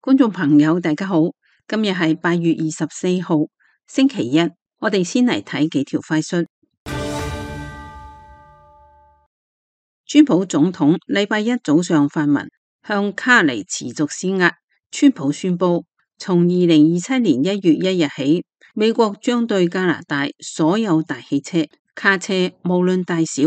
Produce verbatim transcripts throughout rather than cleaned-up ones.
觀眾朋友大家好，今日係八月二十四號星期一，我哋先嚟睇幾條快訊。川普總統禮拜一早上發文向卡尼持續施壓，川普宣布從二零二七年一月一日起，美國將對加拿大所有大汽車、卡車無論大小、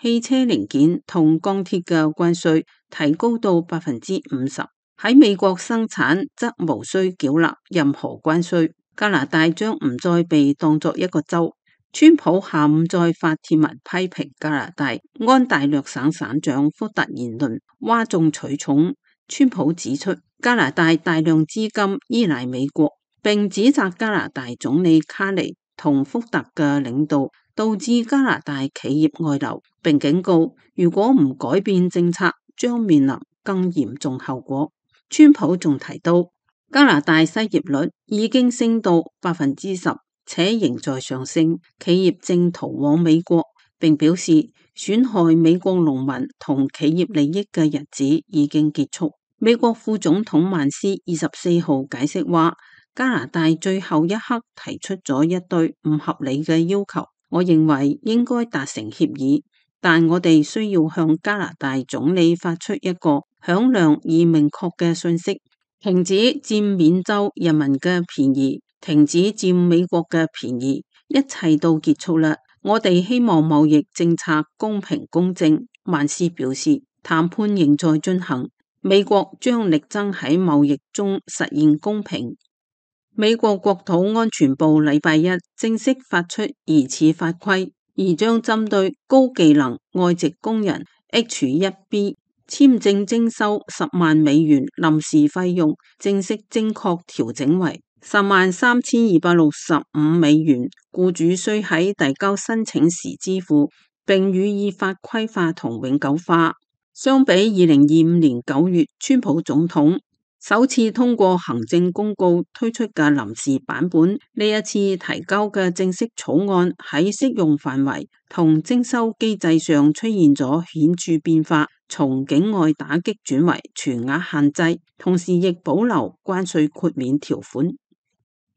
汽車零件同鋼鐵嘅關稅提高到百分之五十。喺美國生產則無需繳納任何關稅，加拿大將唔再被當作一個州。川普下午再發帖文批評加拿大安大略省省長福特言論嘩眾取寵。川普指出，加拿大大量資金依賴美國，並指責加拿大總理卡尼同福特嘅領導導致加拿大企業外流，並警告如果唔改變政策，將面臨更嚴重後果。川普仲提到，加拿大失業率已經升到百分之十，且仍在上升，企業正逃往美國，並表示損害美國農民同企業利益嘅日子已經結束。美國副總統曼斯二十四號解釋話，加拿大最後一刻提出咗一堆唔合理嘅要求，我認為應該達成協議，但我哋需要向加拿大總理發出一個響亮而明確嘅信息，停止佔緬州人民嘅便宜，停止佔美國嘅便宜，一切都結束啦。我哋希望貿易政策公平公正。曼斯表示，談判仍在進行，美國將力爭喺貿易中實現公平。美國國土安全部禮拜一正式發出疑似法規，而將針對高技能外籍工人 H 一 B簽證徵收十萬美元臨時費用，正式正確調整為十萬三千二百六十五美元，僱主須喺遞交申請時支付，並予以法規化同永久化。相比二零二五年九月川普總統首次通過行政公告推出嘅臨時版本，呢一次提交嘅正式草案喺適用範圍同徵收機制上出現咗顯著變化，從境外打擊轉為全額限制，同時亦保留關稅豁免條款。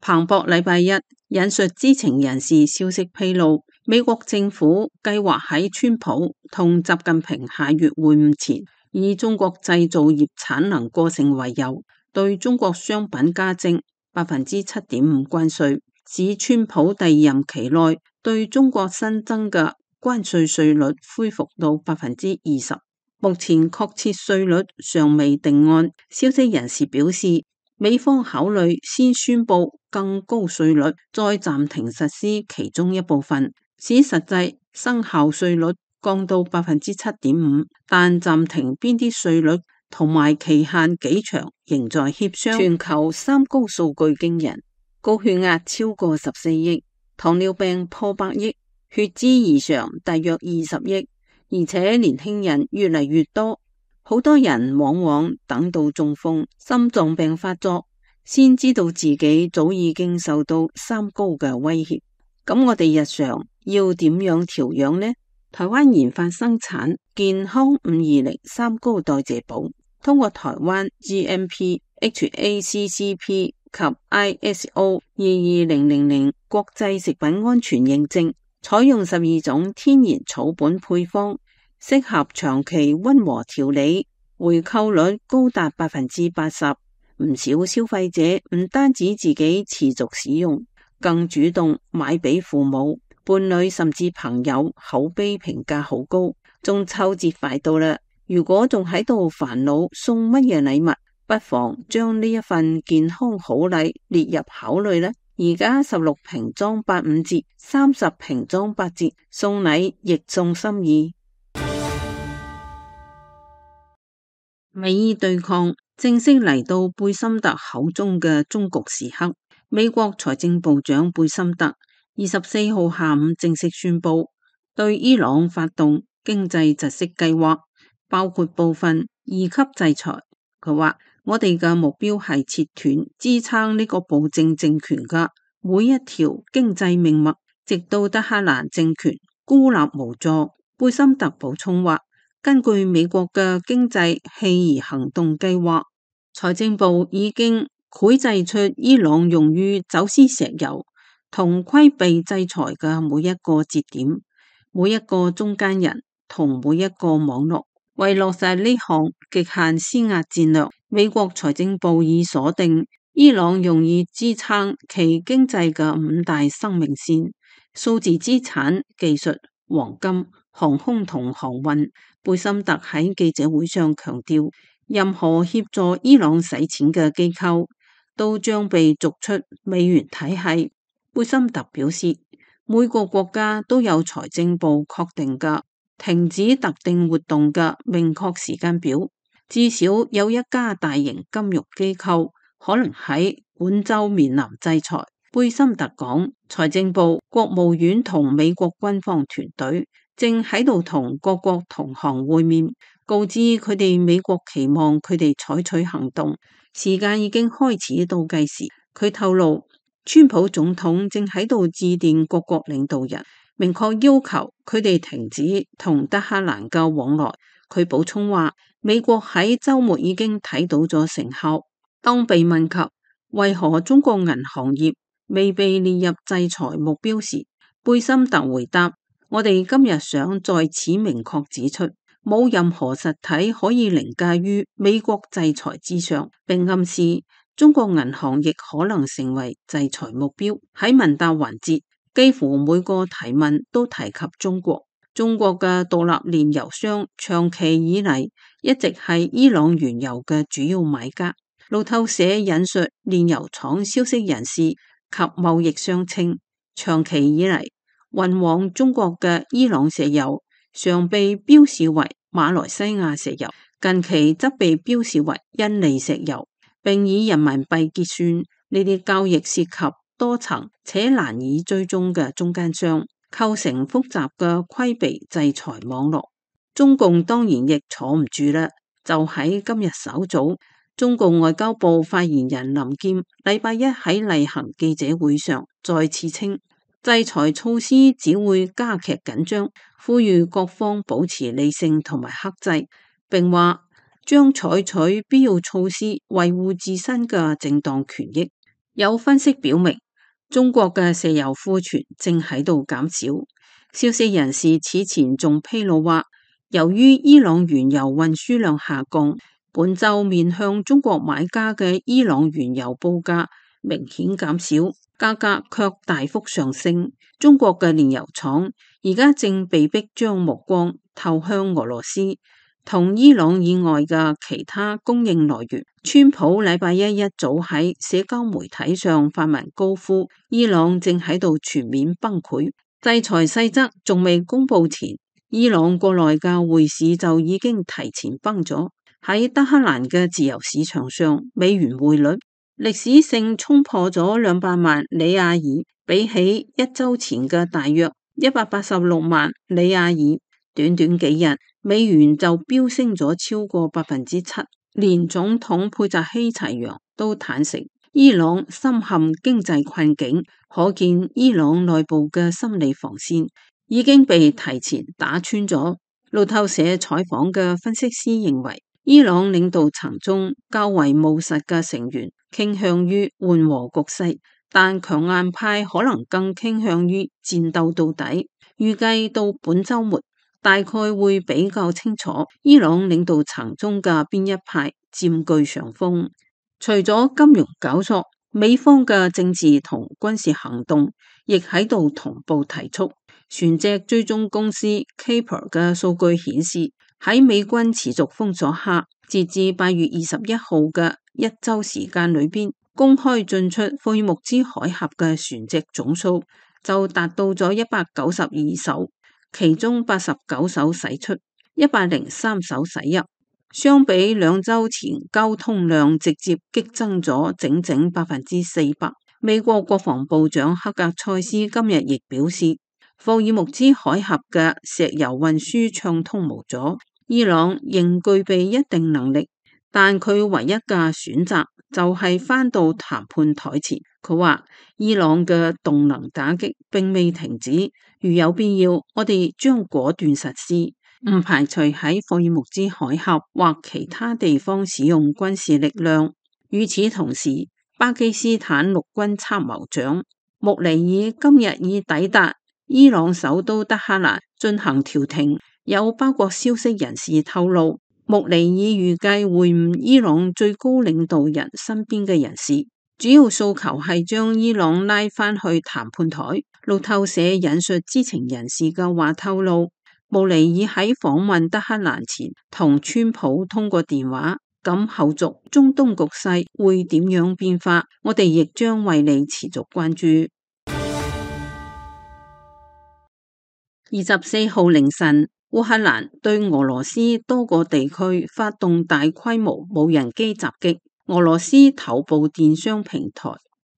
彭博禮拜一引述知情人士消息披露，美國政府計劃喺川普同習近平下月會晤前，以中國製造業產能過剩為由，對中國商品加徵百分之七點五關稅，使川普第二任期內對中國新增嘅關稅稅率恢復到百分之二十。目前確切稅率尚未定案。消息人士表示，美方考慮先宣布更高稅率，再暫停實施其中一部分，使實際生效稅率降到百分之七點五，但暫停邊啲稅率同埋期限幾長仍在協商。全球三高數據驚人，高血壓超過十四億，糖尿病破百億，血脂異常大約二十億，而且年輕人越嚟越多，好多人往往等到中風、心臟病發作，先知道自己早已經受到三高嘅威脅。咁我哋日常要點樣調養呢？台灣研發生產健康五二零三高代謝寶，通過台灣 G M P、H A C C P 及 I S O 二二零零零國際食品安全認證，採用十二種天然草本配方，適合長期溫和調理，回購率高達百分之八十。唔少消費者唔單止自己持續使用，更主動買俾父母、伴侶甚至朋友，口碑評價好高。中秋節快到啦，如果仲喺度煩惱送乜嘢禮物，不妨將呢一份健康好禮列入考慮啦。而家十六瓶裝八五折，三十瓶裝八折，送禮亦送心意。美伊對抗正式嚟到貝森特口中嘅終局時刻。美國財政部長貝森特二十四號下午正式宣布對伊朗發動經濟窒息計劃，包括部分二級制裁。佢話，我哋嘅目標係切斷支撐呢個暴政政權嘅每一條經濟命脈，直到德黑蘭政權孤立無助。貝森特補充話，根據美國嘅經濟棄兒行動計劃，財政部已經繪製出伊朗用於走私石油同規避制裁嘅每一個節點、每一個中間人同每一個網絡。為落實呢項極限施壓戰略，美國財政部已鎖定伊朗用以支撐其經濟嘅五大生命線：數字資產、技術、黃金、航空同航運。貝森特喺記者會上強調，任何協助伊朗洗錢嘅機構都將被逐出美元體系。貝森特表示，每個國家都有財政部確定嘅停止特定活動嘅明確時間表，至少有一家大型金融機構可能喺本週面臨制裁。貝森特講，財政部、國務院同美國軍方團隊正喺度同各國同行會面，告知佢哋美國期望佢哋採取行動，時間已經開始倒計時。佢透露，川普總統正喺度致電各國領導人，明確要求佢哋停止同德黑蘭嘅往來。佢補充話，美國喺週末已經睇到咗成效。當被問及為何中國銀行業未被列入制裁目標時，貝森特回答，我哋今日想在此明確指出，冇任何實體可以凌駕於美國制裁之上，並暗示中國銀行亦可能成為制裁目標。喺問答環節，幾乎每個提問都提及中國。中國嘅獨立煉油商長期以嚟一直係伊朗原油嘅主要買家。路透社引述煉油廠消息人士及貿易商稱，長期以嚟運往中國嘅伊朗石油常被標示為馬來西亞石油，近期則被標示為印尼石油，並以人民幣結算。呢啲交易涉及多層且難以追蹤嘅中間商，構成複雜嘅規避制裁網絡。中共當然亦坐唔住啦，就喺今日稍早，中共外交部發言人林劍禮拜一喺例行記者會上再次稱，制裁措施只會加劇緊張，呼籲各方保持理性同埋克制，並話將採取必要措施維護自身嘅正當權益。有分析表明，中國嘅石油庫存正喺度減少。消息人士此前仲披露話，由於伊朗原油運輸量下降，本週面向中國買家嘅伊朗原油報價明顯減少，價格卻大幅上升。中國嘅煉油廠而家正被迫將目光投向俄羅斯同伊朗以外嘅其他供應來源。川普禮拜一一早喺社交媒體上發文高呼，伊朗正喺度全面崩潰。制裁細則仲未公布前，伊朗國內嘅匯市就已經提前崩咗。喺德黑蘭嘅自由市場上，美元匯率歷史性衝破咗兩百萬里亞爾，比起一周前嘅大約一百八十六萬里亞爾，短短幾日，美元就飆升咗超過百分之七。連總統佩澤希齊揚都坦承，伊朗深陷經濟困境，可見伊朗內部嘅心理防線已經被提前打穿咗。路透社採訪嘅分析師認為，伊朗領導層中較為務實嘅成員傾向於緩和局勢，但強硬派可能更傾向於戰鬥到底。預計到本週末，大概會比較清楚伊朗領導層中嘅邊一派佔據上風。除咗金融搞作，美方嘅政治同軍事行動亦喺度同步提速。船隻追蹤公司 Caper 嘅數據顯示，喺美軍持續封鎖下，截至八月二十一號嘅一周時間裏邊，公開進出霍爾木茲海峽嘅船隻總數就達到咗一百九十二艘。其中八十九艘駛出，一百零三艘駛入，相比兩周前交通量直接激增咗整整百分之四百。美國國防部長克格塞斯今日亦表示，霍爾木茲海峽嘅石油運輸暢通無阻，伊朗仍具備一定能力，但佢唯一嘅選擇就係返到談判台前。佢話伊朗嘅動能打擊並未停止，如有必要，我哋將果斷實施。唔排除喺霍爾木茲海峽或其他地方使用軍事力量。與此同時，巴基斯坦陸軍參謀長穆尼爾今日已抵達伊朗首都德黑蘭進行調停。有包括消息人士透露，穆尼爾預計會晤伊朗最高領導人身邊嘅人士，主要訴求係將伊朗拉返去談判台。路透社引述知情人士嘅話透露，穆尼爾喺訪問德黑蘭前同川普通過電話，咁後續中東局勢會點樣變化，我哋亦將為你持續關注。二十四號凌晨，烏克蘭對俄羅斯多個地區發動大規模無人機襲擊。俄羅斯頭部電商平台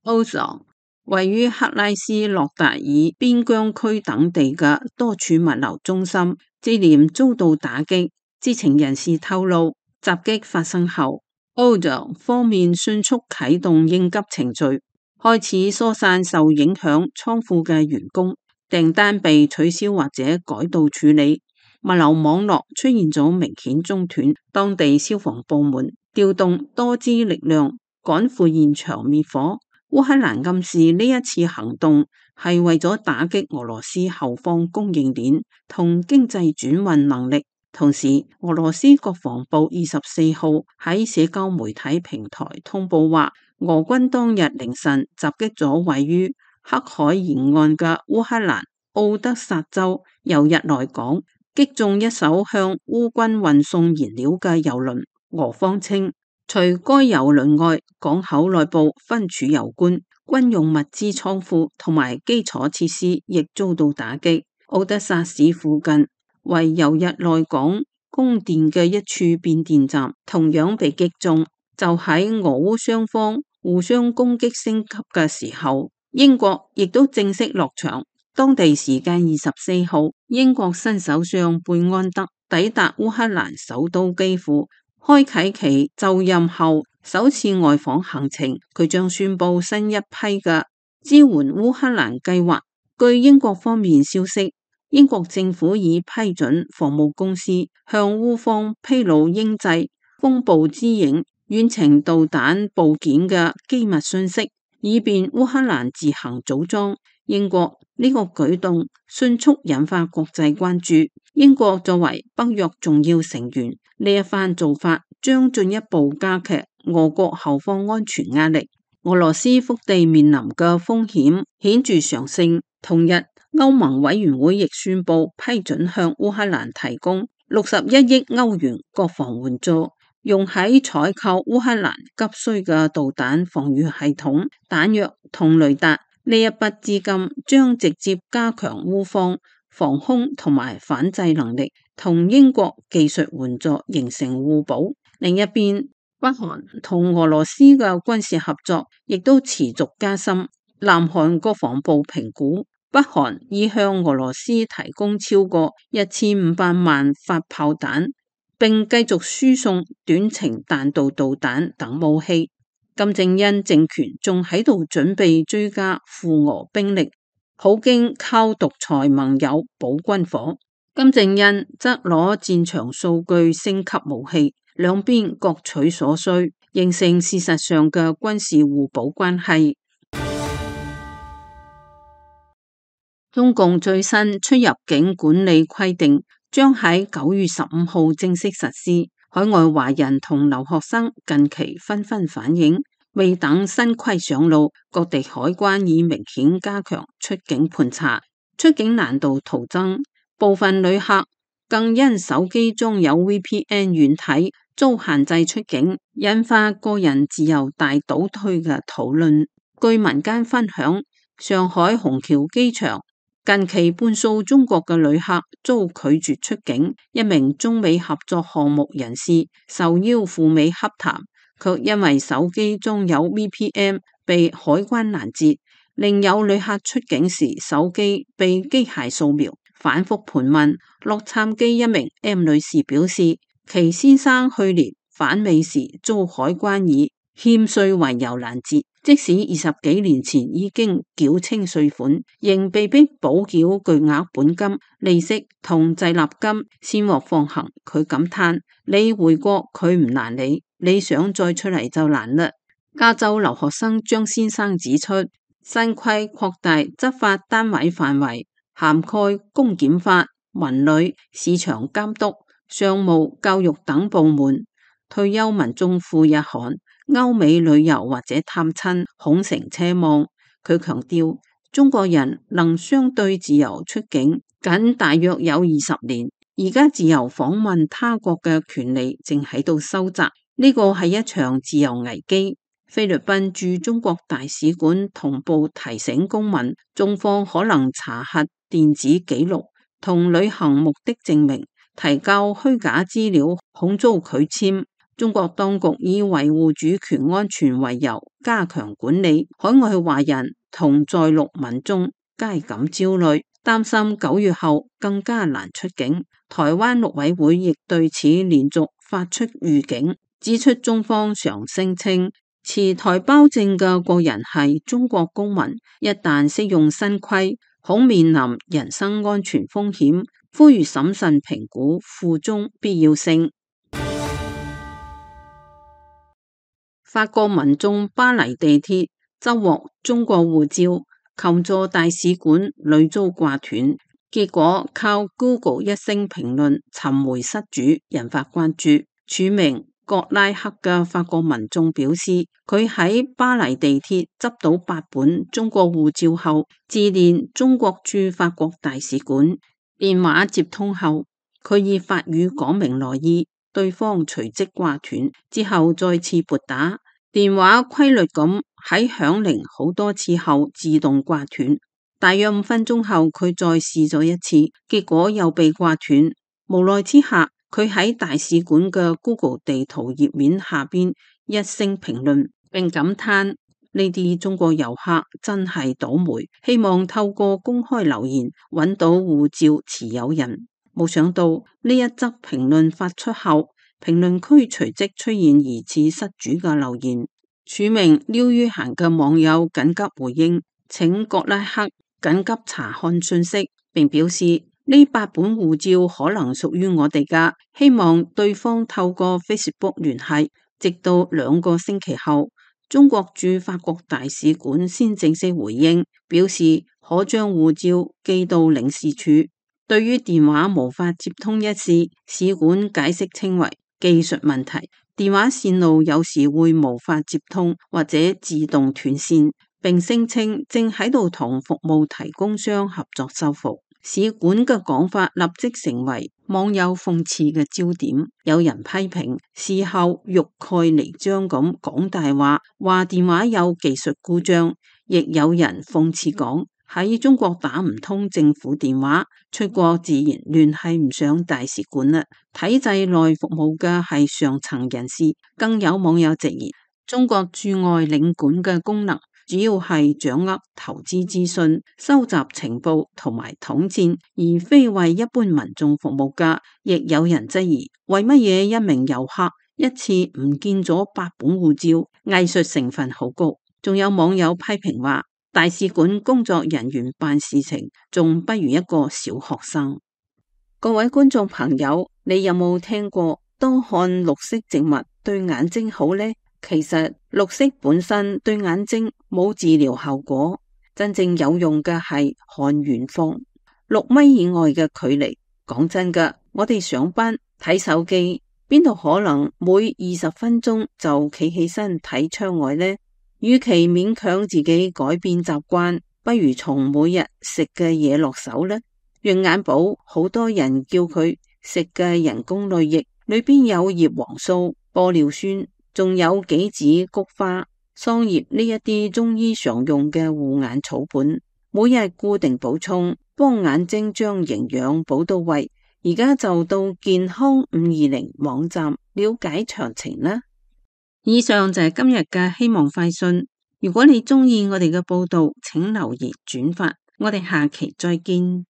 Ozon 位於克拉斯諾達爾邊疆區等地嘅多處物流中心接連遭到打擊。知情人士透露，襲擊發生後 Ozon 方面迅速啟動應急程序，開始疏散受影響倉庫嘅員工，訂單被取消或者改道處理，物流網絡出現咗明顯中斷。當地消防部門調動多支力量趕赴現場滅火。烏克蘭暗示呢一次行動係為咗打擊俄羅斯後方供應鏈同經濟轉運能力。同時，俄羅斯國防部二十四號喺社交媒體平台通報話，俄軍當日凌晨襲擊咗位於黑海沿岸嘅烏克蘭奧德薩州由日內港，擊中一艘向烏軍運送燃料嘅油輪。俄方稱，除該油輪外，港口內部分儲油罐、軍用物資倉庫同埋基礎設施亦遭到打擊。奧德薩市附近為由日內港供電嘅一處變電站同樣被擊中。就喺俄烏雙方互相攻擊升級嘅時候，英國亦都正式落場。當地時間二十四號，英國新首相貝安德抵達烏克蘭首都基輔，開啟其就任後首次外訪行程。佢將宣布新一批嘅支援烏克蘭計劃。據英國方面消息，英國政府已批准防務公司向烏方披露英製風暴之影遠程導彈部件嘅機密信息，以便烏克蘭自行組裝。英國呢個舉動迅速引發國際關注。英國作為北約重要成員，呢一番做法將進一步加劇俄國後方安全壓力。俄羅斯腹地面臨嘅風險顯著上升。同日，歐盟委員會亦宣布批准向烏克蘭提供六十一億歐元國防援助，用喺採購烏克蘭急需嘅導彈防禦系統、彈藥同雷達。呢一筆資金將直接加強烏方防空同埋反制能力，同英國技術援助形成互補。另一邊，北韓同俄羅斯嘅軍事合作亦都持續加深。南韓國防部評估，北韓已向俄羅斯提供超過一千五百萬發炮彈，並繼續輸送短程彈道導彈等武器。金正恩政權仲喺度準備追加赴俄兵力，普京靠獨裁盟友保軍火，金正恩則攞戰場數據升級武器，兩邊各取所需，形成事實上嘅軍事互補關係。中共最新出入境管理規定將喺九月十五號正式實施。海外華人同留學生近期紛紛反映，未等新規上路，各地海關已明顯加強出境盤查，出境難度徒增。部分旅客更因手機中有 V P N 軟體遭限制出境，引發個人自由大倒退嘅討論。據民間分享，上海虹橋機場近期半數中國嘅旅客遭拒絕出境，一名中美合作項目人士受邀赴美洽談，卻因為手機中有 V P N 被海關攔截。另有旅客出境時手機被機械掃描，反覆盤問。洛杉磯一名 M 女士表示，其先生去年返美時遭海關以欠稅為由攔截，即使二十幾年前已經繳清稅款，仍被逼補繳巨額本金、利息同滯納金先獲放行。佢感嘆：你回國佢唔攔你，你想再出嚟就難啦。加州留學生張先生指出，新規擴大執法單位範圍，涵蓋公檢法、文旅、市場監督、商務、教育等部門。退休民眾赴日韓、歐美旅遊或者探親恐成奢望。佢強調，中國人能相對自由出境僅大約有二十年，而家自由訪問他國嘅權利正喺度收窄，呢個係一場自由危機。菲律賓駐中國大使館同步提醒公民，中方可能查核電子記錄同旅行目的證明，提交虛假資料恐遭拒簽。中國當局以維護主權安全為由，加強管理，海外華人同在陸民眾皆感焦慮，擔心九月後更加難出境。台灣陸委會亦對此連續發出預警，指出中方常聲稱持台胞證嘅國人係中國公民，一旦適用新規，恐面臨人身安全風險，呼籲審慎評估附中必要性。法國民眾巴黎地鐵執獲中國護照，求助大使館屢遭掛斷，結果靠 Google 一聲評論尋回失主，引發關注。署名葛拉克嘅法國民眾表示，佢喺巴黎地鐵執到八本中國護照後，致電中國駐法國大使館，電話接通後，佢以法語講明來意。對方隨即掛斷，之後再次撥打，電話規律咁喺響鈴好多次後自動掛斷。大約五分鐘後，佢再試咗一次，結果又被掛斷。無奈之下，佢喺大使館嘅 Google 地圖頁面下邊一聲評論，並感嘆呢啲中國遊客真係倒霉，希望透過公開留言揾到護照持有人。冇想到呢一則評論發出後，評論區隨即出現疑似失主嘅留言。署名廖于嫻嘅網友緊急回應，請葛拉克緊急查看信息，並表示呢八本護照可能屬於我哋噶，希望對方透過 Facebook 聯繫。直到兩個星期後，中國駐法國大使館先正式回應，表示可將護照寄到領事處。對於電話無法接通一事，使館解釋稱為技術問題，電話線路有時會無法接通或者自動斷線，並聲稱正喺度同服務提供商合作修復。使館嘅講法立即成為網友諷刺嘅焦點，有人批評事後欲蓋彌彰咁講大話，話電話有技術故障，亦有人諷刺講喺中國打唔通政府電話，出國自然聯繫唔上大使館啦。體制內服務嘅係上層人士，更有網友直言，中國駐外領館嘅功能主要係掌握投資資訊、收集情報同埋統戰，而非為一般民眾服務噶。亦有人質疑，為乜嘢一名遊客一次唔見咗八本護照，藝術成分好高。仲有網友批評話，大使館工作人員辦事情仲不如一個小學生。各位觀眾朋友，你有冇聽過多看綠色植物對眼睛好呢？其實綠色本身對眼睛冇治療效果，真正有用嘅係看遠方，六米以外嘅距離。講真㗎，我哋上班睇手機，邊度可能每二十分鐘就企起身睇窗外呢？與其勉強自己改變習慣，不如從每日食嘅嘢落手呢。養眼寶好多人叫佢食嘅人工淚液，裏邊有葉黃素、玻尿酸，仲有杞子、菊花、桑葉呢一啲中醫常用嘅護眼草本，每日固定補充，幫眼睛將營養補到位。而家就到健康五二零網站了解詳情啦。以上就係今日嘅希望快訊。如果你鍾意我哋嘅報道，請留言轉發。我哋下期再見。